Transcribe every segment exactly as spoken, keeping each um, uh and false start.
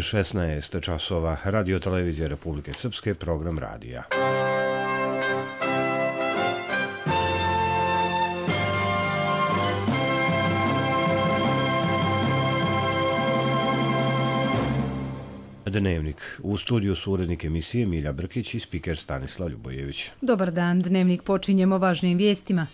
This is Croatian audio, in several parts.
šesnaest časova, Radio televizija Republike Srpske, program radija. Dnevnik. U studiju su urednik emisije Milja Brkić i spiker Stanislav Ljubojević. Dobar dan, Dnevnik počinjemo važnim vijestima.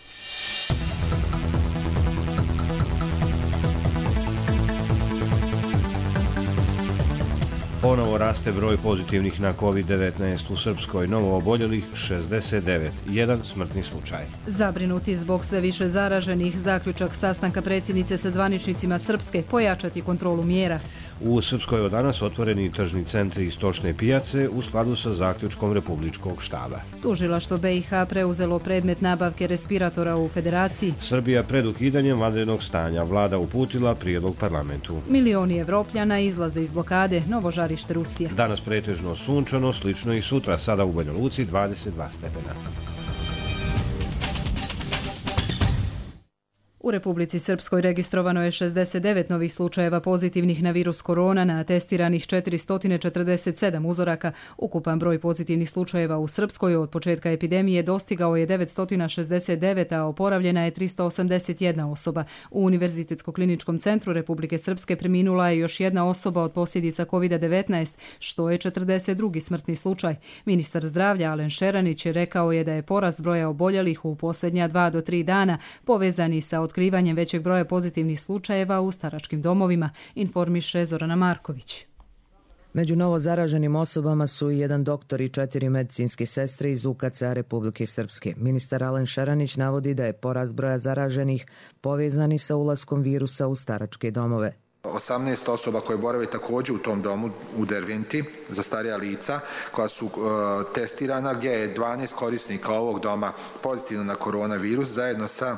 Ponovo raste broj pozitivnih na kovid devetnaest u Srpskoj, novo oboljelih šezdeset devet, jedan smrtni slučaj. Zabrinuti zbog sve više zaraženih, zaključak sastanka predsjednice sa zvaničnicima Srpske, pojačati kontrolu mjera. U Srpskoj od danas otvoreni tržni centri i stočne pijace u skladu sa zaključkom Republičkog štaba. Tužilaštvo B i H preuzelo predmet nabavke respiratora u Federaciji. Srbija pred ukidanjem vanrednog stanja, vlada uputila prijedlog parlamentu. Milioni Evropljana izlaze iz blokade, novo žarište Rusije. Danas pretežno sunčano, slično i sutra, sada u Banja Luci dvadeset dva stepena. U Republici Srpskoj registrovano je šezdeset devet novih slučajeva pozitivnih na virus korona na testiranih četiristo četrdeset sedam uzoraka. Ukupan broj pozitivnih slučajeva u Srpskoj od početka epidemije dostigao je devetsto šezdeset devet, a oporavljena je tristo osamdeset jedna osoba. U Univerzitetsko-kliničkom centru Republike Srpske preminula je još jedna osoba od posljedica kovid devetnaest, što je četrdeset drugi smrtni slučaj. Ministar zdravlja Alen Šeranić rekao je da je porast broja oboljelih u posljednja dva do tri dana povezani sa otkrivanjem većeg broja pozitivnih slučajeva u staračkim domovima, informiše Zorana Marković. Među novo zaraženim osobama su i jedan doktor i četiri medicinske sestre iz U K C-a Republike Srpske. Ministar Alen Šeranić navodi da je porast broja zaraženih povezani sa ulaskom virusa u staračke domove. osamnaest osoba koje borave također u tom domu u Derventi za starija lica koja su uh, testirana, gdje je dvanaest korisnika ovog doma pozitivno na koronavirus zajedno sa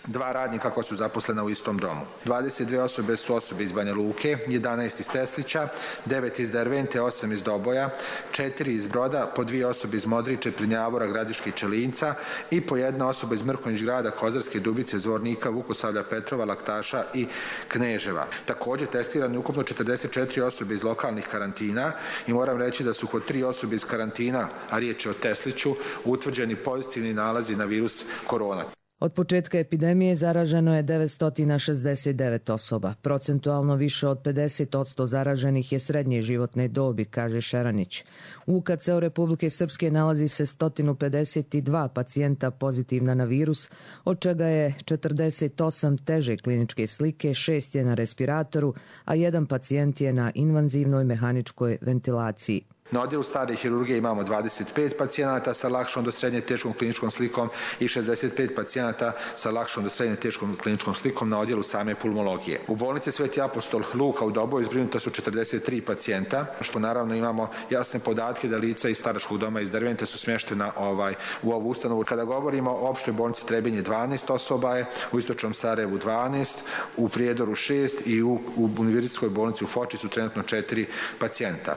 dva radnika koja su zaposlena u istom domu. dvadeset dvije osobe su osobe iz Banja Luke, jedanaest iz Teslića, devet iz Dervente, osam iz Doboja, četiri iz Broda, po dvije osobe iz Modriče, Prinjavora, Gradiške i Čelinca i po jedna osoba iz Mrkonjić grada, Kozarske, Dubice, Zvornika, Vukosavlja, Petrova, Laktaša i Kneževa. Također testirani ukupno četrdeset četiri osobe iz lokalnih karantina i moram reći da su kod tri osobe iz karantina, a riječ je o Tesliću, utvrđeni pozitivni nalazi na virus korona. Od početka epidemije zaraženo je devetsto šezdeset devet osoba. Procentualno više od pedeset posto zaraženih je srednje životne dobi, kaže Šeranić. U U K C-u Republike Srpske nalazi se sto pedeset dva pacijenta pozitivna na virus, od čega je četrdeset osam teže kliničke slike, šest je na respiratoru, a jedan pacijent je na invazivnoj mehaničkoj ventilaciji. Na odjelu stare hirurgije imamo dvadeset pet pacijenata sa lakšom do srednje teškom kliničkom slikom i šezdeset pet pacijenata sa lakšom do srednje teškom kliničkom slikom na odjelu same pulmologije. U bolnici Sveti apostol Luka u Doboju zbrinuta su četrdeset tri pacijenta, što naravno imamo jasne podatke da lica iz staračkog doma iz Dervente su smještena ovaj, u ovu ustanovu. Kada govorimo o opštoj bolnici Trebinje, dvanaest osoba je, u Istočnom Sarajevu dvanaest, u Prijedoru šest i u, u Univerzitetskoj bolnici u Foči su trenutno četiri pacijenta.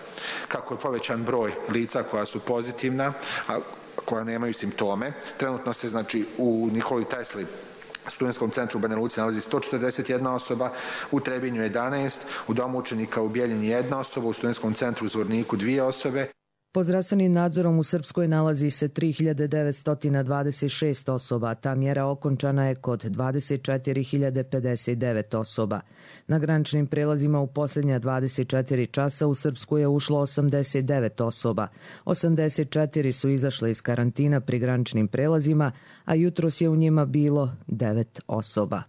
Kako je povećan broj lica koja su pozitivna, a koja nemaju simptome. Trenutno se znači u Nikoli Tesli Studentskom centru u Banja Luci nalazi sto četrdeset jedna osoba, u Trebinju jedanaest, u domu učenika u Bijeljini jedna osoba, u Studentskom centru u Zvorniku dvije osobe. Pod zdravstvenim nadzorom u Srpskoj nalazi se tri hiljade devetsto dvadeset šest osoba, ta mjera okončana je kod dvadeset četiri hiljade pedeset devet osoba. Na graničnim prelazima u posljednja dvadeset četiri časa u Srpsku je ušlo osamdeset devet osoba. osamdeset četiri su izašle iz karantina pri graničnim prelazima, a jutros je u njima bilo devet osoba.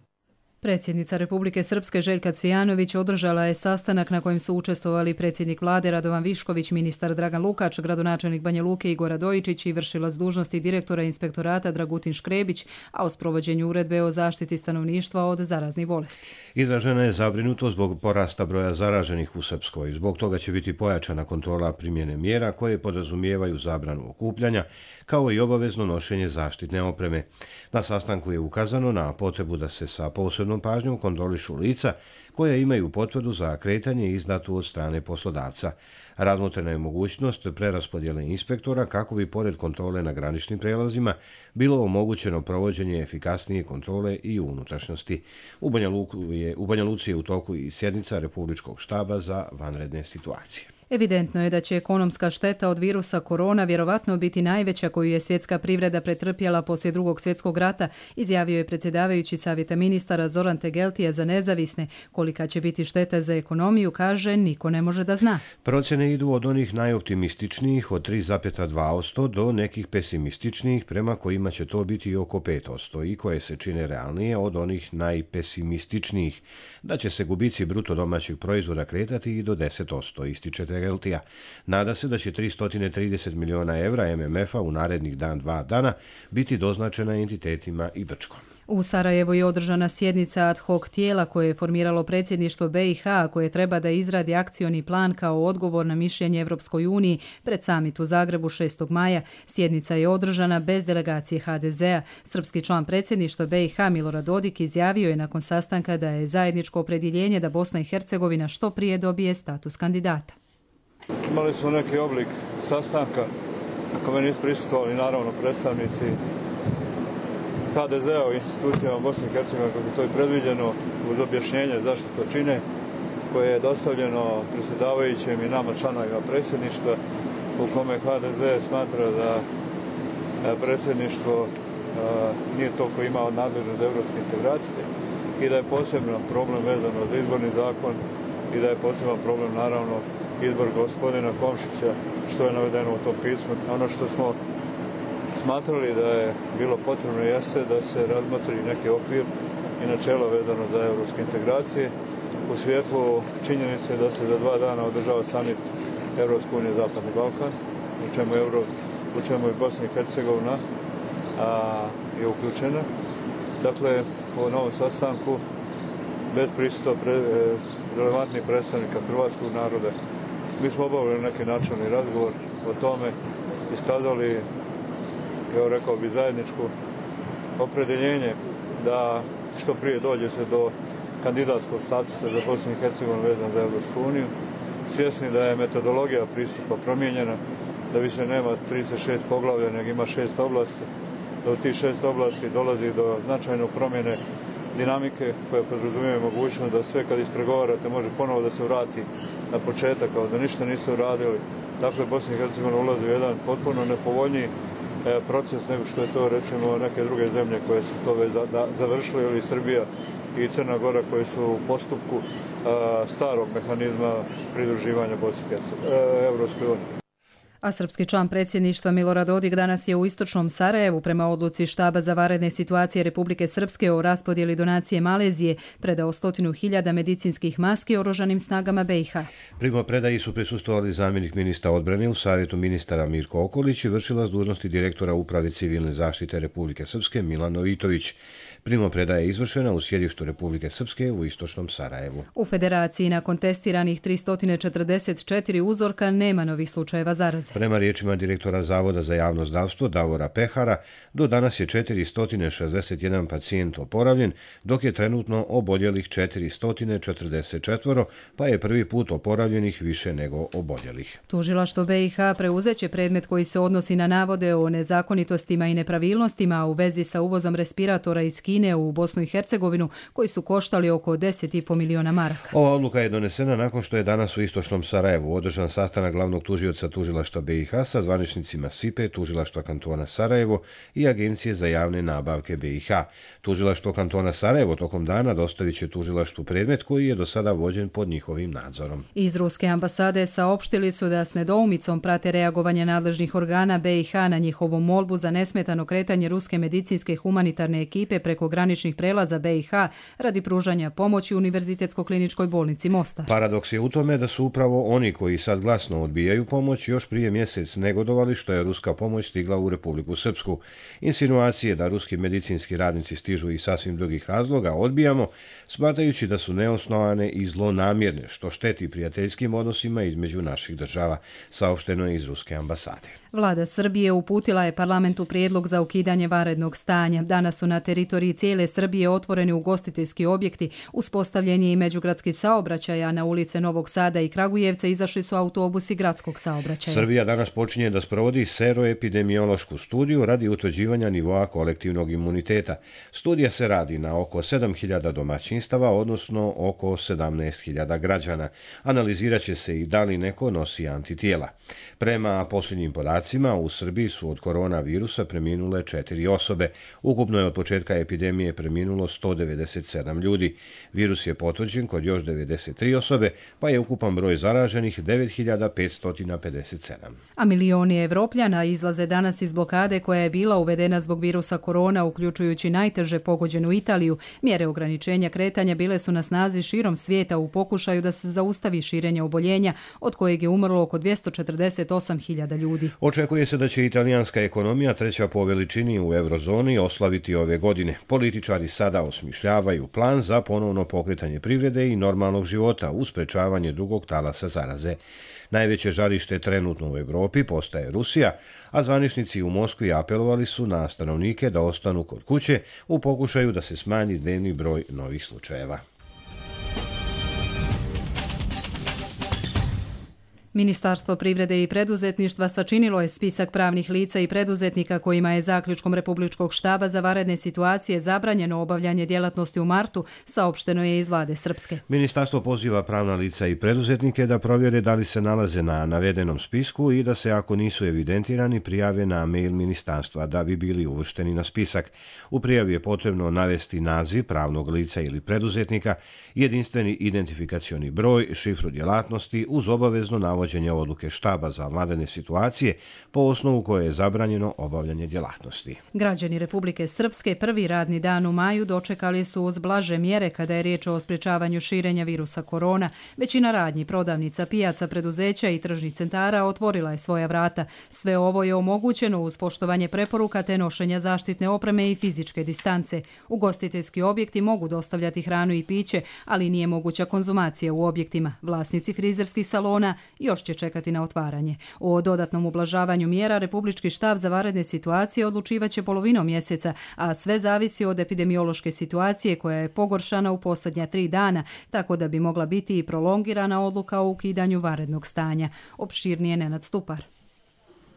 Predsjednica Republike Srpske Željka Cvijanović održala je sastanak na kojem su učestvovali predsjednik vlade Radovan Višković, ministar Dragan Lukač, gradonačelnik Banja Luke Igor Radojičić i vršilac dužnosti direktora inspektorata Dragutin Škrebić, a o sprovođenju uredbe o zaštiti stanovništva od zaraznih bolesti. Izražena je zabrinutost zbog porasta broja zaraženih u Srpskoj. Zbog toga će biti pojačana kontrola primjene mjera koje podrazumijevaju zabranu okupljanja, kao i obavezno nošenje zaštitne opreme. Na sastanku je ukazano na potrebu da se sa posebnom posebnom pažnjom kontrolišu lica koja imaju potvrdu za kretanje izdatu od strane poslodavca. Razmotrena je mogućnost preraspodjele inspektora kako bi pored kontrole na graničnim prelazima bilo omogućeno provođenje efikasnije kontrole i u unutrašnjosti. U Banja Luku je, u Banja Luci je u toku i sjednica Republičkog štaba za vanredne situacije. Evidentno je da će ekonomska šteta od virusa korona vjerovatno biti najveća koju je svjetska privreda pretrpjela poslije drugog svjetskog rata, izjavio je predsjedavajući Savjeta ministara Zoran Tegeltija za nezavisne. Kolika će biti šteta za ekonomiju, kaže, niko ne može da zna. Procjene idu od onih najoptimističnijih od tri zarez dva posto do nekih pesimističnijih prema kojima će to biti oko pet posto i koje se čine realnije od onih najpesimističnijih, da će se gubici bruto domaćeg proizvoda kretati i do deset posto, ističe Tegeltija. Nada se da će tristo trideset miliona evra M M F-a u narednih dan dva dana biti doznačena entitetima i Brčkom. U Sarajevu je održana sjednica ad hoc tijela koje je formiralo predsjedništvo B i H, koje treba da izradi akcioni plan kao odgovor na mišljenje Evropskoj uniji pred samit u Zagrebu šestog maja. Sjednica je održana bez delegacije H D Z-a. Srpski član predsjedništva B i H Milorad Dodik izjavio je nakon sastanka da je zajedničko opredjeljenje da Bosna i Hercegovina što prije dobije status kandidata. Imali smo neki oblik sastanka na kome nisu prisustvovali naravno predstavnici H D Z-a u institucijama Bosne i Hercegovine, kako to je predviđeno, uz objašnjenje zašto to čine, koje je dostavljeno predsjedavajućem i nama članovima predsjedništva, u kome H D Z smatra da predsjedništvo nije to koje ima nadležno za evropske integracije i da je poseban problem vezano za izborni zakon i da je poseban problem naravno izbor gospodina Komšića, što je navedeno u tom pismu. Ono što smo smatrali da je bilo potrebno jeste da se razmotri neki okvir i načelo vezano za evropske integracije u svjetlu činjenice da se za dva dana održava samit Evropska unija Zapadni Balkan, u čemu, Euro, u čemu i Bosna i Hercegovina a, je uključena. Dakle, u novom sastanku bez prisustva pre, e, relevantnih predstavnika hrvatskog naroda mi smo obavili neki načelni razgovor o tome, iskazali, evo rekao bi, zajedničko opredjeljenje da što prije dođe se do kandidatskog statusa za Bosnu i Hercegovinu vezano za Evropsku uniju, svjesni da je metodologija pristupa promijenjena, da više nema trideset šest poglavlja, nego ima šest oblasti, da u tih šest oblasti dolazi do značajne promjene dinamike koja podrazumijeva mogućnost da sve kad ispregovarate može ponovo da se vrati na početak, kao da ništa niste uradili. Dakle, Bosna i Hercegovina ulazi u jedan potpuno nepovoljniji proces nego što je to, recimo, neke druge zemlje koje su to već završile, ili Srbija i Crna Gora, koji su u postupku starog mehanizma pridruživanja Bosne i Hercegovine Evropskoj uniji. A srpski član predsjedništva Milorad Dodik danas je u istočnom Sarajevu prema odluci štaba za vanredne situacije Republike Srpske o raspodjeli donacije Malezije predao stotinu hiljada medicinskih maski oružanim snagama B i H. Primopredaji su prisustvovali zamjenik ministra odbrane u Savjetu ministara Mirko Okolić i vršilac dužnosti direktora Uprave civilne zaštite Republike Srpske Milan Novitović. Primopredaja je izvršena u sjedištu Republike Srpske u istočnom Sarajevu. U Federaciji nakon testiranih tristo četrdeset četiri uzorka nema novih slučajeva zaraze. Prema riječima direktora Zavoda za javno zdravstvo Davora Pehara, do danas je četiristo šezdeset jedan pacijent oporavljen, dok je trenutno oboljelih četiristo četrdeset četiri, pa je prvi put oporavljenih više nego oboljelih. Tužilaštvo B i H preuzeće predmet koji se odnosi na navode o nezakonitostima i nepravilnostima u vezi sa uvozom respiratora iz Kine u Bosnu i Hercegovinu, koji su koštali oko deset i po miliona maraka. Ova odluka je donesena nakon što je danas u istočnom Sarajevu održan sastanak glavnog tužioca tužilaštva B i H sa zvaničnicima S I P E, tužilaštva kantona Sarajevo i Agencije za javne nabavke B i H. Tužilaštvo kantona Sarajevo tokom dana dostavit će tužilaštvu predmet koji je do sada vođen pod njihovim nadzorom. Iz ruske ambasade saopštili su da s nedoumicom prate reagovanje nadležnih organa B i H na njihovu molbu za nesmetano kretanje ruske medicinske humanitarne ekipe preko graničnih prelaza B i H radi pružanja pomoći Univerzitetsko-kliničkoj bolnici Mostar. Paradoks je u tome da su upravo oni koji sad glasno odbijaju pomoć još prije mjesec negodovali što je ruska pomoć stigla u Republiku Srpsku. Insinuacije da ruski medicinski radnici stižu iz sasvim drugih razloga odbijamo, smatrajući da su neosnovane i zlonamjerne, što šteti prijateljskim odnosima između naših država, saopšteno je iz ruske ambasade. Vlada Srbije uputila je parlamentu prijedlog za ukidanje vanrednog stanja. Danas su na teritoriji cijele Srbije otvoreni ugostiteljski objekti, uspostavljen je i međugradski saobraćaj, a na ulice Novog Sada i Kragujevca izašli su autobusi gradskog saobraćaja. Srbija danas počinje da sprovodi seroepidemiološku studiju radi utvrđivanja nivoa kolektivnog imuniteta. Studija se radi na oko sedam hiljada domaćinstava, odnosno oko sedamnaest hiljada građana. Analizirat će se i da li neko nosi antitijela. Prema posljednjim podacima, u Srbiji su od koronavirusa preminule četiri osobe. Ukupno je od početka epidemije preminulo sto devedeset sedam ljudi. Virus je potvrđen kod još devedeset tri osobe, pa je ukupan broj zaraženih devet hiljada petsto pedeset sedam. A milioni Evropljana izlaze danas iz blokade koja je bila uvedena zbog virusa korona, uključujući najteže pogođenu Italiju. Mjere ograničenja kretanja bile su na snazi širom svijeta u pokušaju da se zaustavi širenje oboljenja, od kojeg je umrlo oko dvjesto četrdeset osam hiljada ljudi. Očekuje se da će italijanska ekonomija, treća po veličini u eurozoni, oslaviti ove godine. Političari sada osmišljavaju plan za ponovno pokretanje privrede i normalnog života uz sprečavanje drugog talasa zaraze. Najveće žarište trenutno u Evropi postaje Rusija, a zvaničnici u Moskvi apelovali su na stanovnike da ostanu kod kuće u pokušaju da se smanji dnevni broj novih slučajeva. Ministarstvo privrede i preduzetništva sačinilo je spisak pravnih lica i preduzetnika kojima je zaključkom Republičkog štaba za vanredne situacije zabranjeno obavljanje djelatnosti u martu, saopšteno je iz Vlade Srpske. Ministarstvo poziva pravna lica i preduzetnike da provjere da li se nalaze na navedenom spisku i da se, ako nisu evidentirani, prijave na mail ministarstva da bi bili uvršteni na spisak. U prijavi je potrebno navesti naziv pravnog lica ili preduzetnika, jedinstveni identifikacioni broj, šifru djelatnosti uz obavezno navođenje odluke štaba za vanredne situacije po osnovu koje je zabranjeno obavljanje djelatnosti. Građani Republike Srpske prvi radni dan u maju dočekali su uz blaže mjere kada je riječ o sprječavanju širenja virusa korona. Većina radnji, prodavnica, pijaca, preduzeća i tržnih centara otvorila je svoja vrata. Sve ovo je omogućeno uz poštovanje preporuka te nošenja zaštitne opreme i fizičke distance. Ugostiteljski objekti mogu dostavljati hranu i piće, ali nije moguća konzumacija u objektima. Vlasnici frizerskih salona još će čekati na otvaranje. O dodatnom ublažavanju mjera Republički štab za vanredne situacije odlučivaće polovinom mjeseca, a sve zavisi od epidemiološke situacije koja je pogoršana u posljednja tri dana, tako da bi mogla biti i prolongirana odluka o ukidanju vanrednog stanja. Opširnije Nenad Stupar.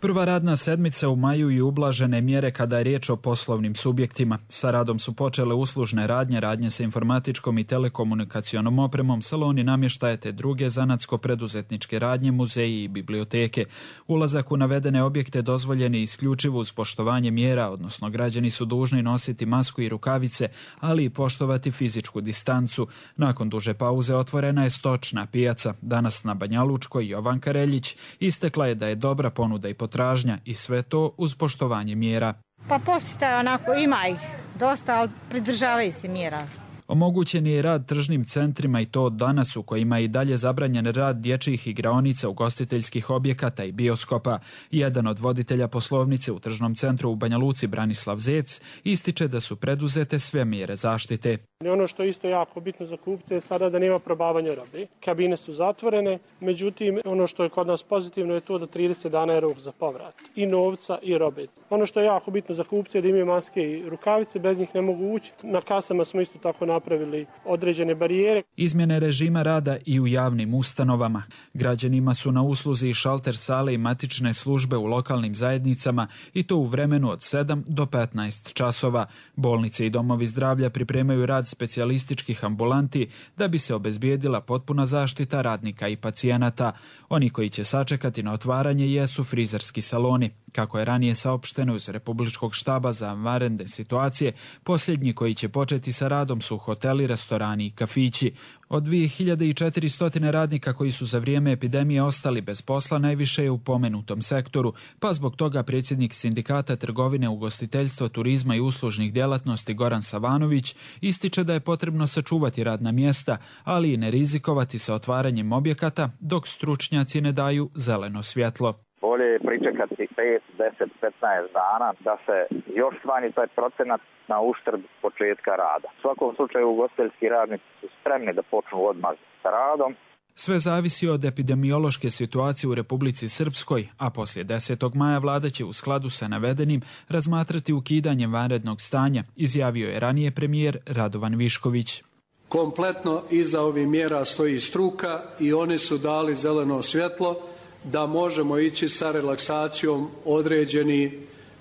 Prva radna sedmica u maju i ublažene mjere kada je riječ o poslovnim subjektima. Sa radom su počele uslužne radnje, radnje sa informatičkom i telekomunikacionom opremom, saloni namještaja te druge zanatsko-preduzetničke radnje, muzeji i biblioteke. Ulazak u navedene objekte dozvoljen je isključivo uz poštovanje mjera, odnosno građani su dužni nositi masku i rukavice, ali i poštovati fizičku distancu. Nakon duže pauze otvorena je stočna pijaca. Danas na Banjalučkoj Jovan Kareljić istekla je da je dobra ponuda i potražnja i sve to uz poštovanje mjera. Pa posjeta onako ima ih dosta, ali pridržavaju se mjera. Omogućen je rad tržnim centrima i to od danas u kojima je i dalje zabranjen rad dječjih igraonica, ugostiteljskih objekata i bioskopa. Jedan od voditelja poslovnice u tržnom centru u Banja Luci, Branislav Zec, ističe da su preduzete sve mjere zaštite. Ono što je isto jako bitno za kupce je sada da nema probavanja robe. Kabine su zatvorene, međutim ono što je kod nas pozitivno je to da trideset dana je rok za povrat i novca i robe. Ono što je jako bitno za kupce je da imaju maske i rukavice, bez njih ne mogu ući. Na kasama smo isto tako napravili određene barijere. Izmjene režima rada i u javnim ustanovama. Građanima su na usluzi i šalter sale i matične službe u lokalnim zajednicama i to u vremenu od sedam do petnaest časova. Bolnice i domovi zdravlja pripremaju rad specijalističkih ambulanti da bi se obezbijedila potpuna zaštita radnika i pacijenata. Oni koji će sačekati na otvaranje jesu frizerski saloni. Kako je ranije saopšteno iz Republičkog štaba za vanredne situacije, posljednji koji će početi sa radom su hoteli, restorani i kafići. Od dvije hiljade četiristo radnika koji su za vrijeme epidemije ostali bez posla najviše je u pomenutom sektoru, pa zbog toga predsjednik Sindikata trgovine, ugostiteljstva, turizma i uslužnih djelatnosti Goran Savanović ističe da je potrebno sačuvati radna mjesta, ali i ne rizikovati sa otvaranjem objekata dok stručnjaci ne daju zeleno svjetlo. Bolje je pričekati pet, deset, petnaest dana da se još smanji taj procenat na uštrb početka rada. U svakom slučaju ugostiteljski radnici su spremni da počnu odmah sa radom. Sve zavisi od epidemiološke situacije u Republici Srpskoj, a poslije desetog maja vlada će u skladu sa navedenim razmatrati ukidanje vanrednog stanja, izjavio je ranije premijer Radovan Višković. Kompletno iza ovih mjera stoji struka i oni su dali zeleno svjetlo da možemo ići sa relaksacijom određeni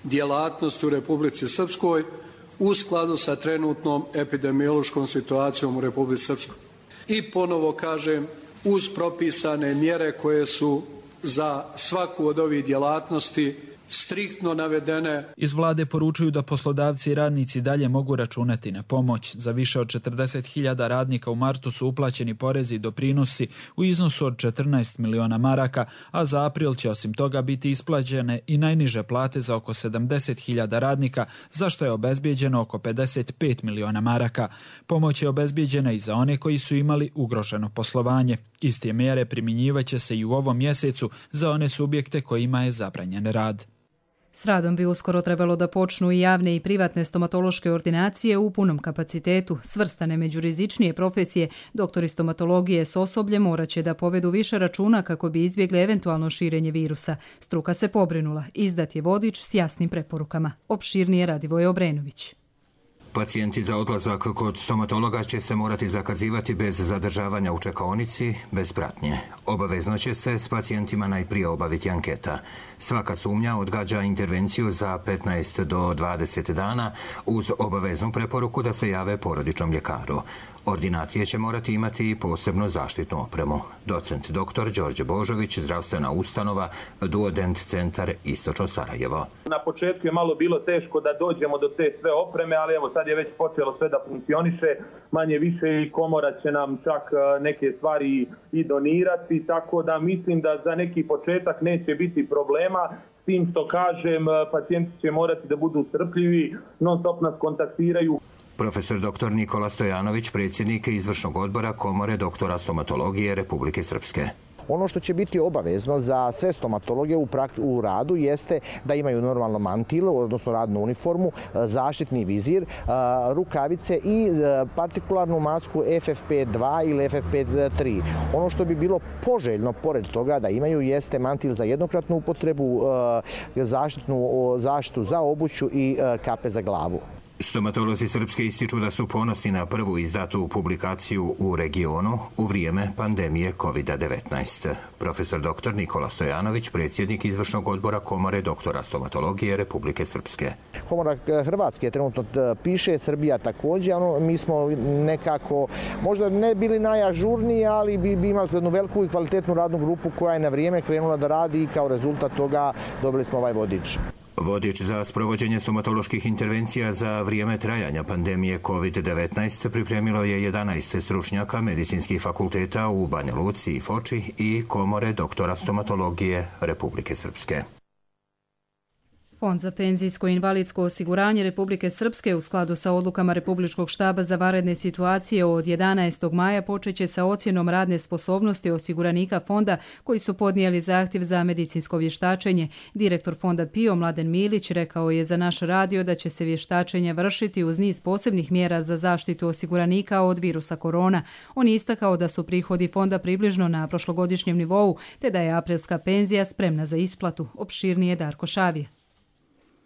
djelatnosti u Republici Srpskoj u skladu sa trenutnom epidemiološkom situacijom u Republici Srpskoj. I ponovo kažem, uz propisane mjere koje su za svaku od ovih djelatnosti striktno navedene. Iz vlade poručuju da poslodavci i radnici dalje mogu računati na pomoć. Za više od četrdeset hiljada radnika u martu su uplaćeni porezi i doprinosi u iznosu od četrnaest miliona maraka, a za april će osim toga biti isplaćene i najniže plate za oko sedamdeset hiljada radnika, za što je obezbijeđeno oko pedeset pet miliona maraka. Pomoć je obezbijeđena i za one koji su imali ugroženo poslovanje. Iste mjere primjenjivaće se i u ovom mjesecu za one subjekte kojima je zabranjen rad. S radom bi uskoro trebalo da počnu i javne i privatne stomatološke ordinacije u punom kapacitetu. Svrstane među rizičnije profesije, doktori stomatologije s osobljem morat će da povedu više računa kako bi izbjegli eventualno širenje virusa. Struka se pobrinula. Izdat je vodič s jasnim preporukama. Opširnije Radivoj Obrenović. Pacijenti za odlazak kod stomatologa će se morati zakazivati bez zadržavanja u čekaonici, bez pratnje. Obavezno će se s pacijentima najprije obaviti anketa. Svaka sumnja odgađa intervenciju za petnaest do dvadeset dana uz obaveznu preporuku da se jave porodičnom ljekaru. Ordinacije će morati imati i posebnu zaštitnu opremu. Docent doktor Đorđe Božović, zdravstvena ustanova, Duodent centar Istočno Sarajevo. Na početku je malo bilo teško da dođemo do te sve opreme, ali evo sad je već počelo sve da funkcioniše. Manje više i komora će nam čak neke stvari i donirati, tako da mislim da za neki početak neće biti problema. S tim što kažem, pacijenti će morati da budu strpljivi, non stop nas kontaktiraju. Profesor doktor Nikola Stojanović, predsjednik izvršnog odbora Komore doktora stomatologije Republike Srpske. Ono što će biti obavezno za sve stomatologe u, u radu jeste da imaju normalno mantil, odnosno radnu uniformu, zaštitni vizir, rukavice i partikularnu masku F F P dva ili F F P tri. Ono što bi bilo poželjno pored toga da imaju jeste mantil za jednokratnu upotrebu, zaštitnu, zaštitu za obuću i kape za glavu. Stomatolozi Srpske ističu da su ponosni na prvu izdatu publikaciju u regionu u vrijeme pandemije kovid devetnaest. Profesor doktor Nikola Stojanović, predsjednik izvršnog odbora Komore doktora stomatologije Republike Srpske. Komora Hrvatske trenutno piše, Srbija također. Ono, mi smo nekako, možda ne bili najažurniji, ali bi, bi imali jednu veliku i kvalitetnu radnu grupu koja je na vrijeme krenula da radi i kao rezultat toga dobili smo ovaj vodič. Vodič za sprovođenje stomatoloških intervencija za vrijeme trajanja pandemije kovid devetnaest pripremilo je jedanaest stručnjaka medicinskih fakulteta u Banja Luci i Foči i Komore doktora stomatologije Republike Srpske. Fond za penzijsko i invalidsko osiguranje Republike Srpske u skladu sa odlukama Republičkog štaba za vanredne situacije od jedanaestog maja počeće sa ocjenom radne sposobnosti osiguranika fonda koji su podnijeli zahtjev za medicinsko vještačenje. Direktor fonda P I O Mladen Milić rekao je za naš radio da će se vještačenje vršiti uz niz posebnih mjera za zaštitu osiguranika od virusa korona. On je istakao da su prihodi fonda približno na prošlogodišnjem nivou te da je aprilska penzija spremna za isplatu. Opširnije Darko Šavije.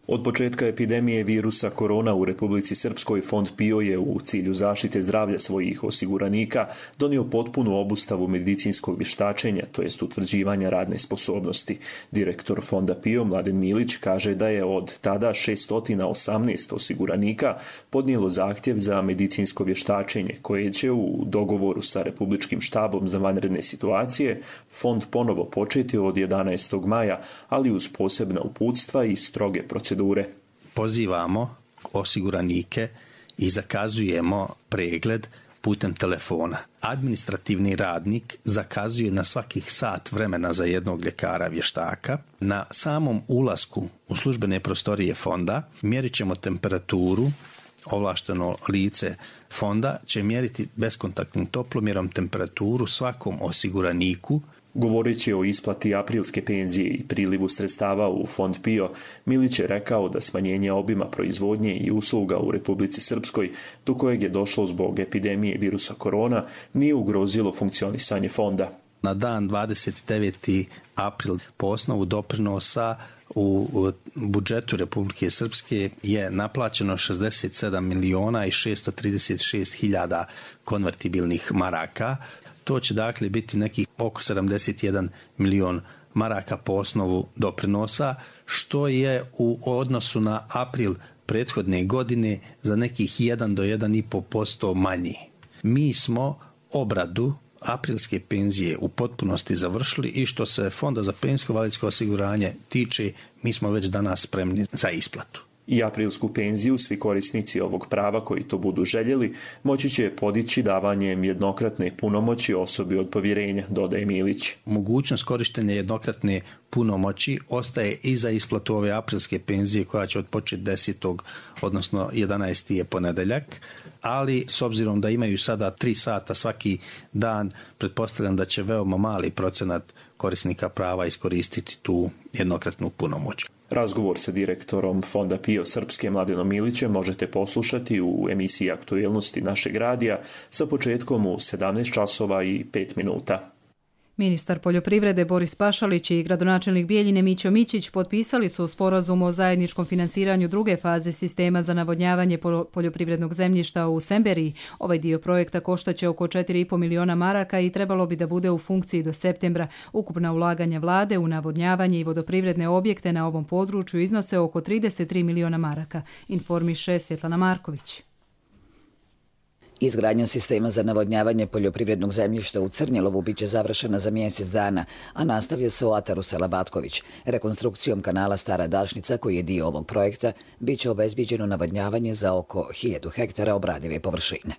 Od početka epidemije virusa korona u Republici Srpskoj Fond P I O je u cilju zaštite zdravlja svojih osiguranika donio potpunu obustavu medicinskog vještačenja, to jest utvrđivanja radne sposobnosti. Direktor Fonda P I O Mladen Milić kaže da je od tada šesto osamnaest osiguranika podnijelo zahtjev za medicinsko vještačenje, koje će u dogovoru sa Republičkim štabom za vanredne situacije Fond ponovo početi od jedanaestog maja, ali uz posebna uputstva i stroge procedure. Pozivamo osiguranike i zakazujemo pregled putem telefona. Administrativni radnik zakazuje na svakih sat vremena za jednog ljekara vještaka. Na samom ulasku u službene prostorije fonda mjerit ćemo temperaturu. Ovlašteno lice fonda će mjeriti beskontaktnim toplomjerom temperaturu svakom osiguraniku Govoreći o isplati aprilske penzije i prilivu sredstava u fond PIO, Milić je rekao da smanjenje obima proizvodnje i usluga u Republici Srpskoj, do kojeg je došlo zbog epidemije virusa korona, nije ugrozilo funkcionisanje fonda. Na dan dvadeset deveti april po osnovu doprinosa u budžetu Republike Srpske je naplaćeno šezdeset sedam miliona i šesto trideset šest hiljada konvertibilnih maraka. To će dakle biti nekih oko sedamdeset jedan milion maraka po osnovu doprinosa, što je u odnosu na april prethodne godine za nekih jedan do jedan i po posto manji. Mi smo obradu aprilske penzije u potpunosti završili i što se Fonda za penzijsko-invalidsko osiguranje tiče, mi smo već danas spremni za isplatu. I aprilsku penziju svi korisnici ovog prava koji to budu željeli moći će podići davanjem jednokratne punomoći osobi od povjerenja, dodaje Milić. Mogućnost korištenja jednokratne punomoći ostaje i za isplatu ove aprilske penzije koja će odpočeti desetog odnosno jedanaesti je ponedeljak, ali s obzirom da imaju sada tri sata svaki dan, pretpostavljam da će veoma mali procenat korisnika prava iskoristiti tu jednokratnu punomoć. Razgovor sa direktorom Fonda PIO Srpske Mladenom Milićem možete poslušati u emisiji Aktuelnosti našeg radija sa početkom u sedamnaest časova i pet minuta. Ministar poljoprivrede Boris Pašalić i gradonačelnik Bijeljine Mićo Mićić potpisali su sporazum o zajedničkom finansiranju druge faze sistema za navodnjavanje poljoprivrednog zemljišta u Semberiji. Ovaj dio projekta koštaće oko četiri i po miliona maraka i trebalo bi da bude u funkciji do septembra. Ukupna ulaganja vlade u navodnjavanje i vodoprivredne objekte na ovom području iznose oko trideset tri miliona maraka, informiše Svjetlana Marković. Izgradnja sistema za navodnjavanje poljoprivrednog zemljišta u Crnjelovu biće završena za mjesec dana, a nastavlja se u ataru sela Batković. Rekonstrukcijom kanala Stara Dašnica, koji je dio ovog projekta, biće obezbiđeno navodnjavanje za oko hiljadu hektara obradive površine.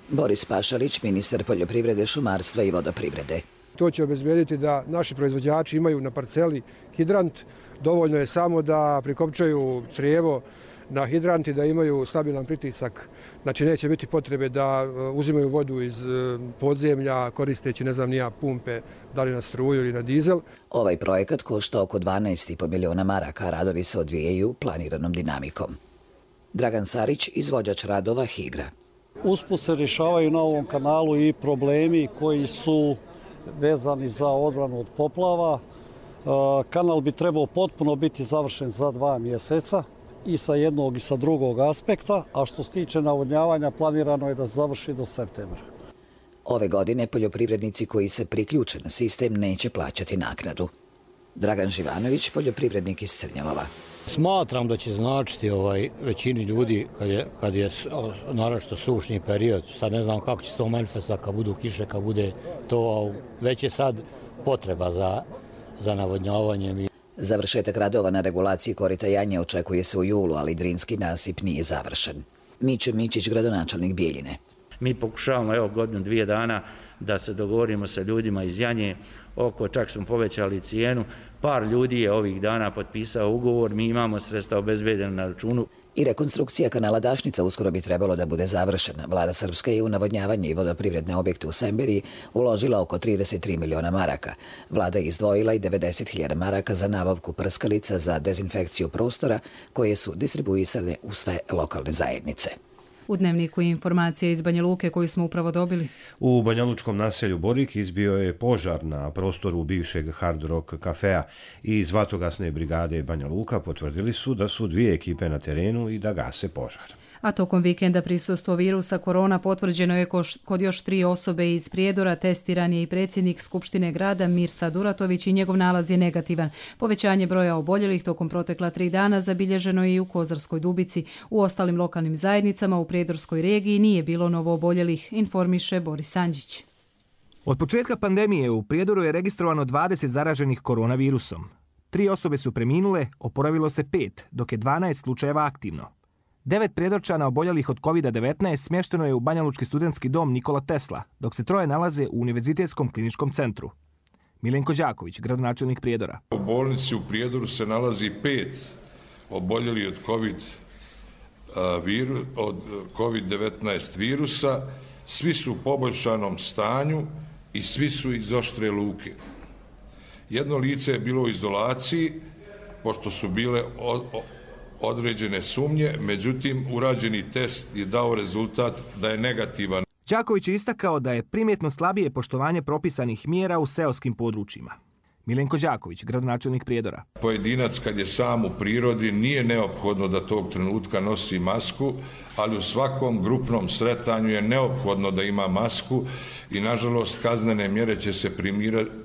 Boris Pašalić, ministar poljoprivrede, šumarstva i vodoprivrede. To će obezbediti da naši proizvođači imaju na parceli hidrant. Dovoljno je samo da prikopčaju crijevo na hidranti, da imaju stabilan pritisak, znači neće biti potrebe da uzimaju vodu iz podzemlja koristeći ne znam nija pumpe, da li na struju ili na dizel. Ovaj projekat košta oko dvanaest i po miliona maraka, radovi se odvijaju planiranom dinamikom. Dragan Sarić, izvođač radova Higra. Usput se rješavaju na ovom kanalu i problemi koji su vezani za odbranu od poplava. Kanal bi trebao potpuno biti završen za dva mjeseca. I sa jednog i sa drugog aspekta, a što se tiče navodnjavanja planirano je da završi do septembra. Ove godine poljoprivrednici koji se priključe na sistem neće plaćati naknadu. Dragan Živanović, poljoprivrednik iz Crnjelova. Smatram da će značiti ovaj, većini ljudi kad je, kad je naročito sušni period. Sad ne znam kako će se to manifestovati kad budu kiše, kad bude to, već je sad potreba za, za navodnjavanjem. Završetak radova na regulaciji korita Janje očekuje se u julu, ali Drinski nasip nije završen. Mićo Mićić, gradonačelnik Bijeljine. Mi pokušavamo evo godinu, dvije dana da se dogovorimo sa ljudima iz Janje, oko čak smo povećali cijenu. Par ljudi je ovih dana potpisao ugovor, mi imamo sredstva obezbedena na računu. I rekonstrukcija kanala Dašnica uskoro bi trebalo da bude završena. Vlada Srpske je u navodnjavanje i vodoprivredne objekte u Semberiji uložila oko trideset tri miliona maraka. Vlada je izdvojila i devedeset hiljada maraka za nabavku prskalica za dezinfekciju prostora koje su distribuisane u sve lokalne zajednice. U Dnevniku je informacija iz Banja Luke koju smo upravo dobili. U banjalučkom naselju Borik izbio je požar na prostoru bivšeg Hard Rock kafea i iz vatrogasne brigade Banja Luka potvrdili su da su dvije ekipe na terenu i da gase požar. A tokom vikenda prisustvo virusa korona potvrđeno je kod još tri osobe iz Prijedora. Testiran je i predsjednik Skupštine grada Mirsa Duratović i njegov nalaz je negativan. Povećanje broja oboljelih tokom protekla tri dana zabilježeno je i u Kozarskoj Dubici. U ostalim lokalnim zajednicama u Prijedorskoj regiji nije bilo novo oboljelih, informiše Boris Andžić. Od početka pandemije u Prijedoru je registrovano dvadeset zaraženih koronavirusom. Tri osobe su preminule, oporavilo se pet, dok je dvanaest slučajeva aktivno. Devet Prijedorčana oboljelih od kovid devetnaest smješteno je u Banjalučki studentski dom Nikola Tesla, dok se troje nalaze u Univerzitetskom kliničkom centru. Milenko Đaković, gradonačelnik Prijedora. U bolnici u Prijedoru se nalazi pet oboljeli od COVID, viru, od kovid devetnaest virusa. Svi su u poboljšanom stanju i svi su iz Oštre Luke. Jedno lice je bilo u izolaciji, pošto su bile određene sumnje, međutim, urađeni test je dao rezultat da je negativan. Đaković je istakao da je primjetno slabije poštovanje propisanih mjera u seoskim područjima. Milenko Đaković, gradonačelnik Prijedora. Pojedinac kad je sam u prirodi nije neophodno da tog trenutka nosi masku, ali u svakom grupnom sretanju je neophodno da ima masku i nažalost kaznene mjere će se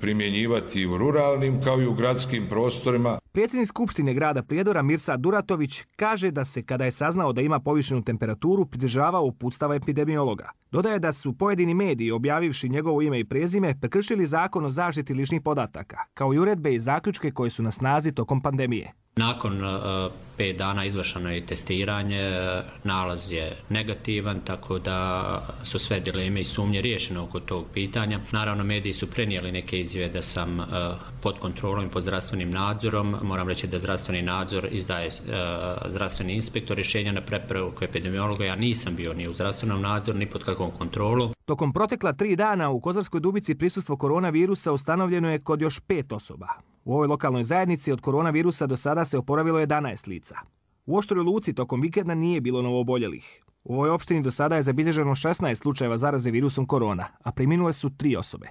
primjenjivati i u ruralnim kao i u gradskim prostorima. Predsjednik Skupštine grada Prijedora Mirsad Duratović kaže da se kada je saznao da ima povišenu temperaturu pridržavao uputstava epidemiologa. Dodaje da su pojedini mediji objavivši njegovo ime i prezime prekršili zakon o zaštiti ličnih podataka, kao i uredbe i zaključke koje su na snazi tokom pandemije. Nakon uh, pet dana izvršeno je testiranje, nalaz je negativan, tako da su sve dileme i sumnje riješene oko tog pitanja. Naravno, mediji su prenijeli neke izjave da sam uh, pod kontrolom i pod zdravstvenim nadzorom. Moram reći da zdravstveni nadzor izdaje uh, zdravstveni inspektor rješenja na preporuku epidemiologa. Ja nisam bio ni u zdravstvenom nadzoru, ni pod kakvom kontrolu. Tokom protekla tri dana u Kozarskoj Dubici prisustvo koronavirusa ustanovljeno je kod još pet osoba. U ovoj lokalnoj zajednici od koronavirusa do sada se oporavilo jedanaest lica. U Oštroj Luci tokom vikenda nije bilo novooboljelih. U ovoj opštini do sada je zabilježeno šesnaest slučajeva zaraze virusom korona, a preminule su tri osobe.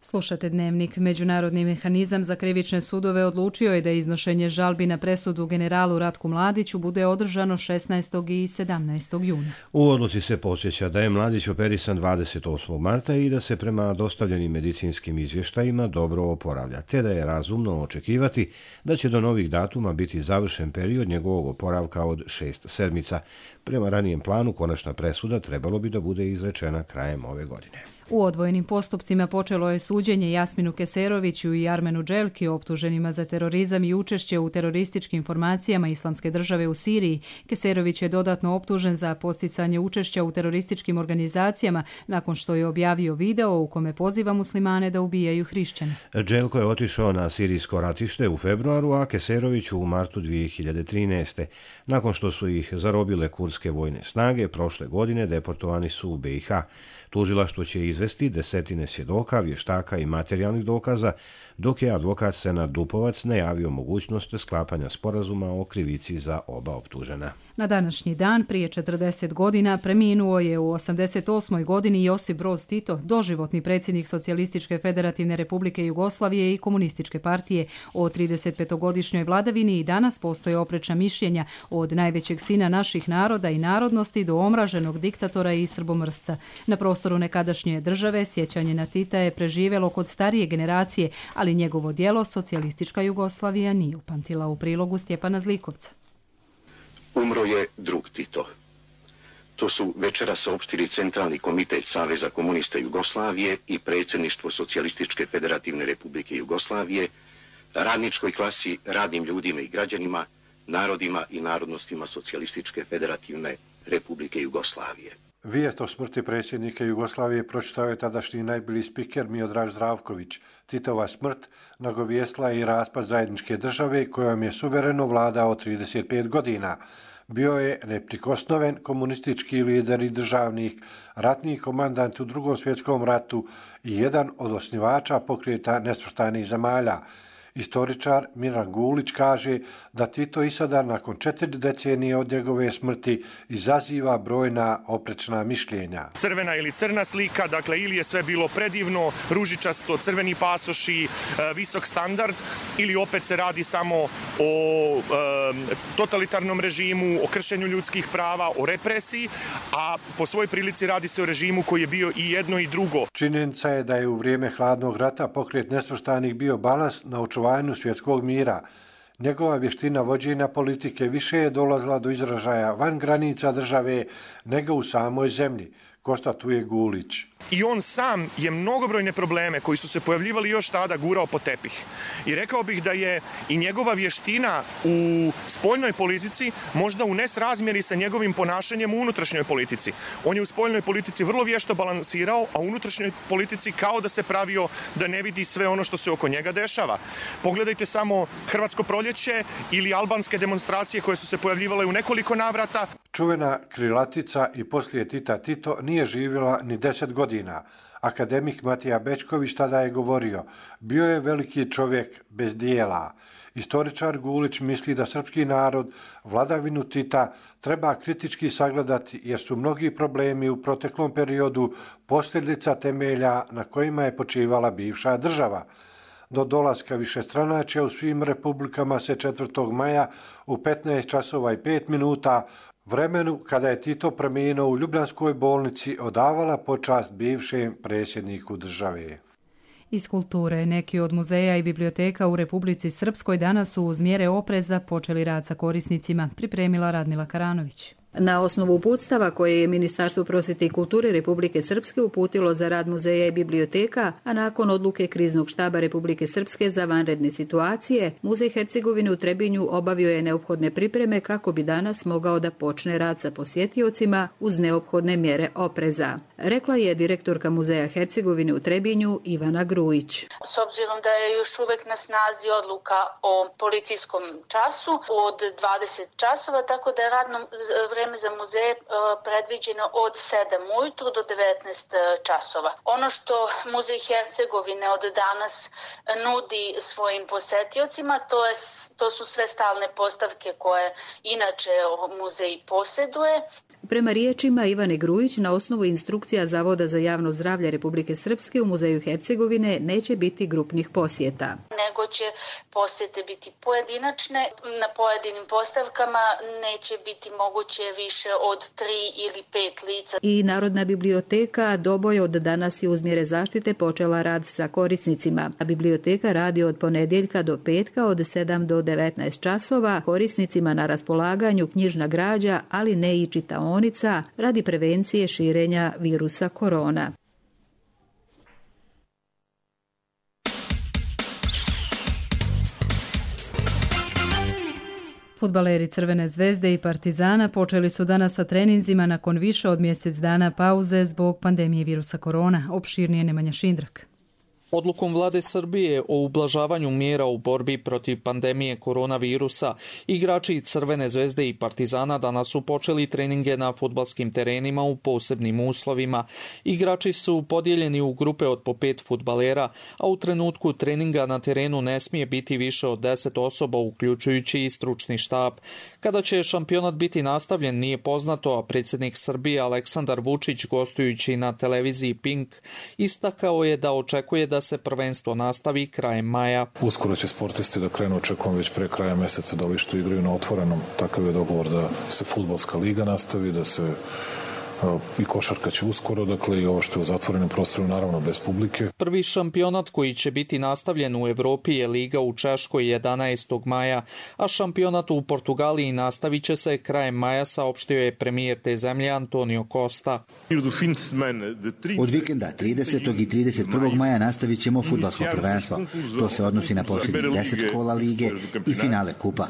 Slušate Dnevnik. Međunarodni mehanizam za krivične sudove odlučio je da iznošenje žalbi na presudu generalu Ratku Mladiću bude održano šesnaestog i sedamnaestog juna. U odluci se podsjeća da je Mladić operisan dvadeset osmog marta i da se prema dostavljenim medicinskim izvještajima dobro oporavlja, te da je razumno očekivati da će do novih datuma biti završen period njegovog oporavka od šest sedmica. Prema ranijem planu, konačna presuda trebalo bi da bude izrečena krajem ove godine. U odvojenim postupcima počelo je suđenje Jasminu Keseroviću i Armenu Dželki, optuženima za terorizam i učešće u terorističkim formacijama Islamske države u Siriji. Keserović je dodatno optužen za posticanje učešća u terorističkim organizacijama nakon što je objavio video u kome poziva muslimane da ubijaju hrišćane. Dželko je otišao na sirijsko ratište u februaru, a Keserović u martu dvije hiljade trinaeste. Nakon što su ih zarobile kurdske vojne snage, prošle godine deportovani su u B i H. Tužilaštvo će izvesti desetine svjedoka, vještaka i materijalnih dokaza, dok je advokat Senad Dupovac najavio mogućnost sklapanja sporazuma o krivici za oba optužena. Na današnji dan, prije četrdeset godina, preminuo je u osamdeset osmoj godini Josip Broz Tito, doživotni predsjednik Socijalističke federativne republike Jugoslavije i komunističke partije. O tridesetpetogodišnjoj vladavini i danas postoje oprečna mišljenja, od najvećeg sina naših naroda i narodnosti do omraženog diktatora i srbomrsca. Na prostoru nekadašnje države sjećanje na Tita je preživjelo kod starije generacije, ali njegovo djelo Socijalistička Jugoslavija nije upamtila. U prilogu Stjepana Zlikovca. Umro je drug Tito. To su večeras saopštili Centralni komitet Saveza komunista Jugoslavije i predsjedništvo Socijalističke federativne republike Jugoslavije, radničkoj klasi, radnim ljudima i građanima, narodima i narodnostima Socijalističke federativne republike Jugoslavije. Vijest o smrti predsjednika Jugoslavije pročitao je tadašnji najbolji spiker Miodrag Zdravković. Titova smrt nagovijestila je i raspad zajedničke države kojom je suvereno vladao trideset pet godina. Bio je neprikosnoven komunistički lider i državnik, ratni komandant u Drugom svjetskom ratu i jedan od osnivača pokreta nesvrstanih zemalja. Istoričar Miran Gulić kaže da Tito i sada nakon četiri decenije od njegove smrti izaziva brojna oprečna mišljenja. Crvena ili crna slika, dakle ili je sve bilo predivno, ružičasto, crveni pasoši, visok standard, ili opet se radi samo o e, totalitarnom režimu, o kršenju ljudskih prava, o represiji, a po svojoj prilici radi se o režimu koji je bio i jedno i drugo. Činjenica je da je u vrijeme hladnog rata pokret nesvrstanih bio balans na očuvanju svjetskog mira. Njegova vještina vođenja politike više je dolazila do izražaja van granica države nego u samoj zemlji, konstatuje Gulić. I on sam je mnogobrojne probleme koji su se pojavljivali još tada gurao po tepih. I rekao bih da je i njegova vještina u spoljnoj politici možda u nesrazmjeri sa njegovim ponašanjem u unutrašnjoj politici. On je u spoljnoj politici vrlo vješto balansirao, a u unutrašnjoj politici kao da se pravio da ne vidi sve ono što se oko njega dešava. Pogledajte samo Hrvatsko proljeće ili albanske demonstracije koje su se pojavljivale u nekoliko navrata. Čuvena krilatica i poslije Tita Tito nije živjela ni deset godina. Akademik Matija Bečković tada je govorio, bio je veliki čovjek bez dijela. Istoričar Gulić misli da srpski narod vladavinu Tita treba kritički sagledati jer su mnogi problemi u proteklom periodu posljedica temelja na kojima je počivala bivša država. Do dolaska višestranačja u svim republikama se četvrtog maja u petnaest časova i pet minuta, vremenu kada je Tito preminuo u Ljubljanskoj bolnici, odavala počast bivšem predsjedniku države. Iz kulture, neki od muzeja i biblioteka u Republici Srpskoj danas su uz mjere opreza počeli rad sa korisnicima, pripremila Radmila Karanović. Na osnovu uputstava koje je Ministarstvo prosvjete i kulture Republike Srpske uputilo za rad muzeja i biblioteka, a nakon odluke Kriznog štaba Republike Srpske za vanredne situacije, Muzej Hercegovine u Trebinju obavio je neophodne pripreme kako bi danas mogao da počne rad sa posjetiocima uz neophodne mjere opreza. Rekla je direktorka Muzeja Hercegovine u Trebinju Ivana Grujić. S obzirom da je još uvijek na snazi odluka o policijskom času od dvadeset časova, tako da je radno vreme za muzeje predviđeno od sedam ujutro do devetnaest časova. Ono što Muzej Hercegovine od danas nudi svojim posetiocima, to, je, to su sve stalne postavke koje inače muzej posjeduje. Prema riječima Ivane Grujić, na osnovu instrukcija Zavoda za javno zdravlje Republike Srpske u Muzeju Hercegovine neće biti grupnih posjeta. Nego će posjete biti pojedinačne, na pojedinim postavkama neće biti moguće više od tri ili pet lica. I Narodna biblioteka Doboj od danas je uz mjere zaštite počela rad sa korisnicima. A biblioteka radi od ponedjeljka do petka od sedam do devetnaest časova, korisnicima na raspolaganju knjižna građa, ali ne i čitaonica radi prevencije širenja virusa korona. Fudbaleri Crvene zvezde i Partizana počeli su danas sa treninzima nakon više od mjesec dana pauze zbog pandemije virusa korona. Opširnije Nemanja Šindrak. Odlukom vlade Srbije o ublažavanju mjera u borbi protiv pandemije koronavirusa, igrači Crvene zvezde i Partizana danas su počeli treninge na fudbalskim terenima u posebnim uslovima. Igrači su podijeljeni u grupe od po pet fudbalera, a u trenutku treninga na terenu ne smije biti više od deset osoba, uključujući i stručni štab. Kada će šampionat biti nastavljen nije poznato, a predsjednik Srbije Aleksandar Vučić, gostujući na televiziji Pink, istakao je da očekuje da da se prvenstvo nastavi krajem maja. Uskoro će sportisti da krenu, očekujem već pre kraja mjeseca da ovi što igraju na otvorenom. Takav je dogovor da se fudbalska liga nastavi, da se i košarka će uskoro, dakle i ovo što je u zatvorenom prostoru, naravno bez publike. Prvi šampionat koji će biti nastavljen u Evropi je Liga u Češkoj jedanaestog maja, a šampionat u Portugaliji nastavit će se krajem maja, saopštio je premijer te zemlje Antonio Costa. Od vikenda tridesetog i trideset prvog maja nastavit ćemo fudbalsko prvenstvo. To se odnosi na posljednjih deset kola lige i finale kupa.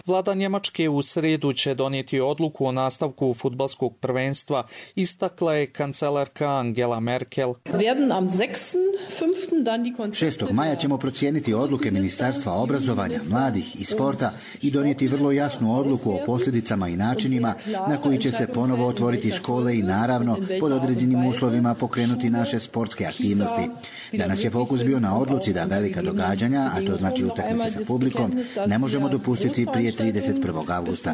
Vlada Njemačke u sredu će donijeti odluku o nastavku fudbalskog prvenstva, istakla je kancelarka Angela Merkel. šestog maja ćemo procijeniti odluke Ministarstva obrazovanja, mladih i sporta i donijeti vrlo jasnu odluku o posljedicama i načinima na koji će se ponovo otvoriti škole i naravno pod određenim uslovima pokrenuti naše sportske aktivnosti. Danas je fokus bio na odluci da velika događanja, a to znači utakmice sa publikom, ne možemo dopustiti prije trideset prvog avgusta.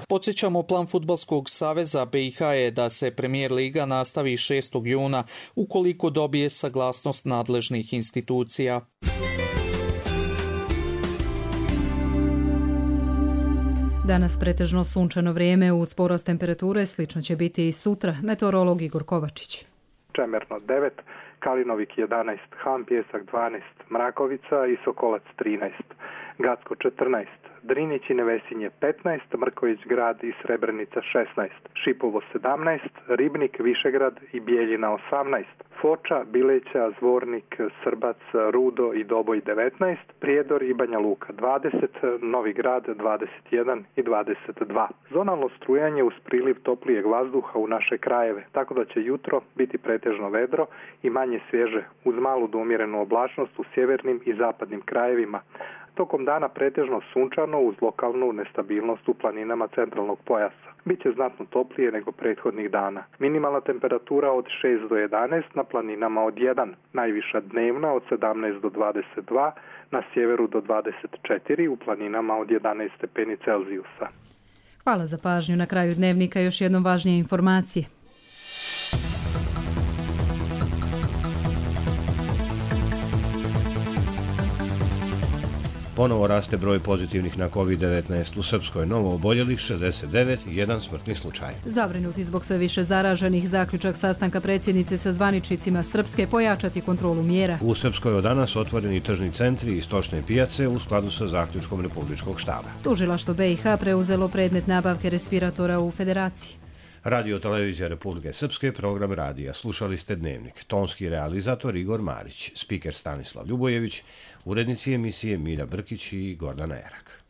Podsjećamo, plan Fudbalskog saveza B i H je da se Premijer Liga nastavi šestog juna ukoliko dobije saglasnost nadležnih institucija. Danas pretežno sunčano vrijeme uz porast temperature, slično će biti i sutra. Meteorolog Igor Kovačić. Čemerno devet, Kalinovik jedanaest, Ham Pjesak dvanaest, Mrakovica i Sokolac trinaest, Gacko četrnaest, Drinić i Nevesinje petnaest, Mrković grad i Srebrenica šesnaest, Šipovo sedamnaest, Ribnik, Višegrad i Bijeljina osamnaest, Foča, Bileća, Zvornik, Srbac, Rudo i Doboj devetnaest, Prijedor i Banja Luka dvadeset, Novi Grad dvadeset jedan i dvadeset dva. Zonalno strujanje uz priliv toplijeg vazduha u naše krajeve, tako da će jutro biti pretežno vedro i manje svježe uz malu do umjerenu oblačnost u sjevernim i zapadnim krajevima. Tokom dana pretežno sunčano uz lokalnu nestabilnost u planinama centralnog pojasa. Biće znatno toplije nego prethodnih dana. Minimalna temperatura od šest do jedanaest, na planinama od jedan. Najviša dnevna od sedamnaest do dvadeset dva, na sjeveru do dvadeset četiri, u planinama od jedanaest stepeni Celzijusa. Hvala za pažnju. Na kraju dnevnika još jednom važnije informacije. Ponovo raste broj pozitivnih na kovid devetnaest u Srpskoj, novo oboljelih šezdeset devet i jedan smrtni slučaj. Zabrinuti zbog sve više zaraženih, zaključak sastanka predsjednice sa zvaničnicima Srpske pojačati kontrolu mjera. U Srpskoj od danas otvoreni tržni centri i stočne pijace u skladu sa zaključkom Republičkog štaba. Tužilaštvo B i H preuzelo predmet nabavke respiratora u Federaciji. Radio televizija Republike Srpske, program radija. Slušali ste Dnevnik. Tonski realizator Igor Marić, spiker Stanislav Ljubojević, urednici emisije Milja Brkić i Gordana Erak.